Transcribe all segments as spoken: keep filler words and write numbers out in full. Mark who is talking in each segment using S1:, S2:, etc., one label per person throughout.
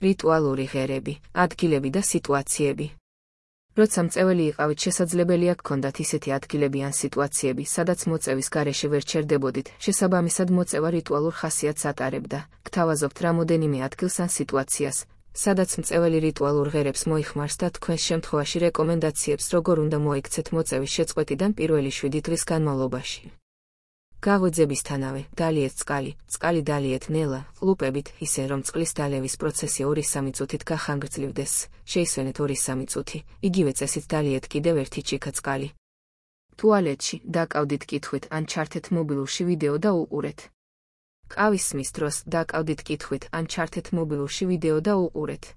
S1: რიტუალური ღერები, ადგილები და სიტუაციები. როცა მწეველი იყავით, შესაძლებელია გქონდათ ისეთი ადგილები ან სიტუაციები, სადაც მოწევის გარეშე ვერ ჩერდებოდით, შესაბამისად მოწევა რიტუალურ ხასიათს ატარებდა. გთავაზობთ რამოდენიმე ადგილს ან სიტუაციას, სადაც მწეველი რიტუალურ ღერებს მოიხმარს და თქვენს შემთხვევაში რეკომენდაციებს როგორ უნდა მოიქცეთ მოწევის შეწყვეტიდან პირველი შვიდი დღის განმავლობაში. გაღვიძებისთანავე, დალიეთ წყალი, წყალი დალიეთ ნელა, ყლუპებით, ისე რომ წყლის დალევის პროცესი ორი-სამი წუთით გახანგრძლივდეს, შეისვენეთ ორი-სამი წუთი, იგივე წესით დალიეთ კიდევ ერთი ჩიქა წყალი. ტუალეტში, დაკავდით კითხვით ან ჩართეთ მობილურში ვიდეო და უყურეთ. ყავის სმის დროს, დაკავდით კითხვით ან ჩართეთ მობილურში ვიდეო და უყურეთ.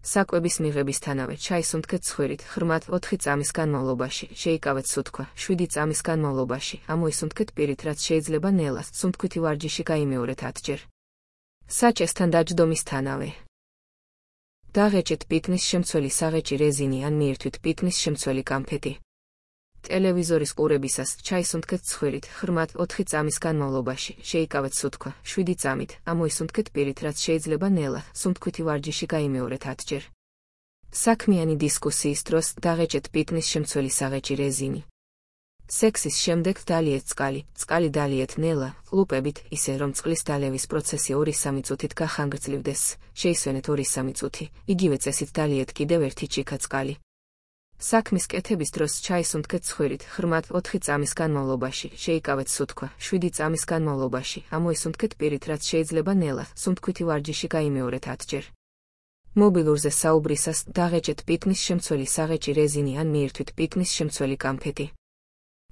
S1: საკვების მიღებისთანავე, ჩაის უნთქეთ ცხვირით, ღრმად ოთხი წამის განმავლობაში, შეიკავეთ სუთქვა, შვიდი წამის განმავლობაში, ამოისუნთქეთ პირით, რაც შეიძლება ნელას, სუნთქვითი ვარჯიში გაიმეორეთ ათჯერ. საჭესთან დაჯდომისთანავე. დაღეჭეთ პიტნის შემცველი საღეჭი რეზინი ან მიირთვით პიტნის შემცველი კამფეტი. ტელევიზორის ყურებისას, ჩაის უნთქეთ ცხვირით, ღრმად ოთხი წამის განმავლობაში, შეიკავეთ სუთქვა, შვიდი წამით, ამოისუნთქეთ პირით, რაც შეიძლება ნელა, სუნთქვითი ვარჯიში გაიმეორეთ ათჯერ. საქმიანი დისკუსიის დროს, დაღეჭეთ პიტნის შემცველი საღეჭი რეზინი. სექსის შემდეგ დალიეთ წყალი, წყალი დალიეთ ნელა, ყლუპებით, ისე რომ წყლის დალევის პროცესი ორი-სამი წუთით გახანგრძლივდეს, შეისვენეთ ორი-სამი წუთი, იგივე წესით დალიეთ კიდევ ერთი ჩიქა წყალი. საქმის კეთების დროს ჩაის უნთქეთ ცხვირით, ღრმად ოთხი წამის განმავლობაში, შეიკავეთ სუთქვა, შვიდი წამის განმავლობაში, ამოისუნთქეთ პირით, რაც შეიძლება ნელა, სუნთქვითი ვარჯიში გაიმეორეთ ათჯერ. მობილურზე საუბრისას, დაღეჭეთ პიტნის შემცველი საღეჭი რეზინი ან მიირთვით პიტნის შემცველი კამფეტი.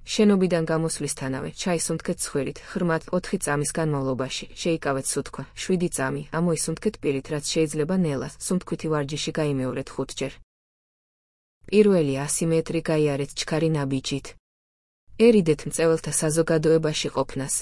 S1: შენობიდან გამოსვლისთანავე, ჩაის უნთქეთ ცხვირით, ღრმად ოთხი წამის განმავლობაში, შეიკავეთ სუთქვა, შვიდი წამი, ამოისუნთქეთ პირით, რაც შეიძლება ნელა, სუნთქვითი ვარჯიში გაიმეორეთ ხუთჯერ. პირველი ასი მეტრი გაიარეთ ჩქარი ნაბიჯით. ერიდეთ მწეველთა საზოგადოებაში ყოფნას.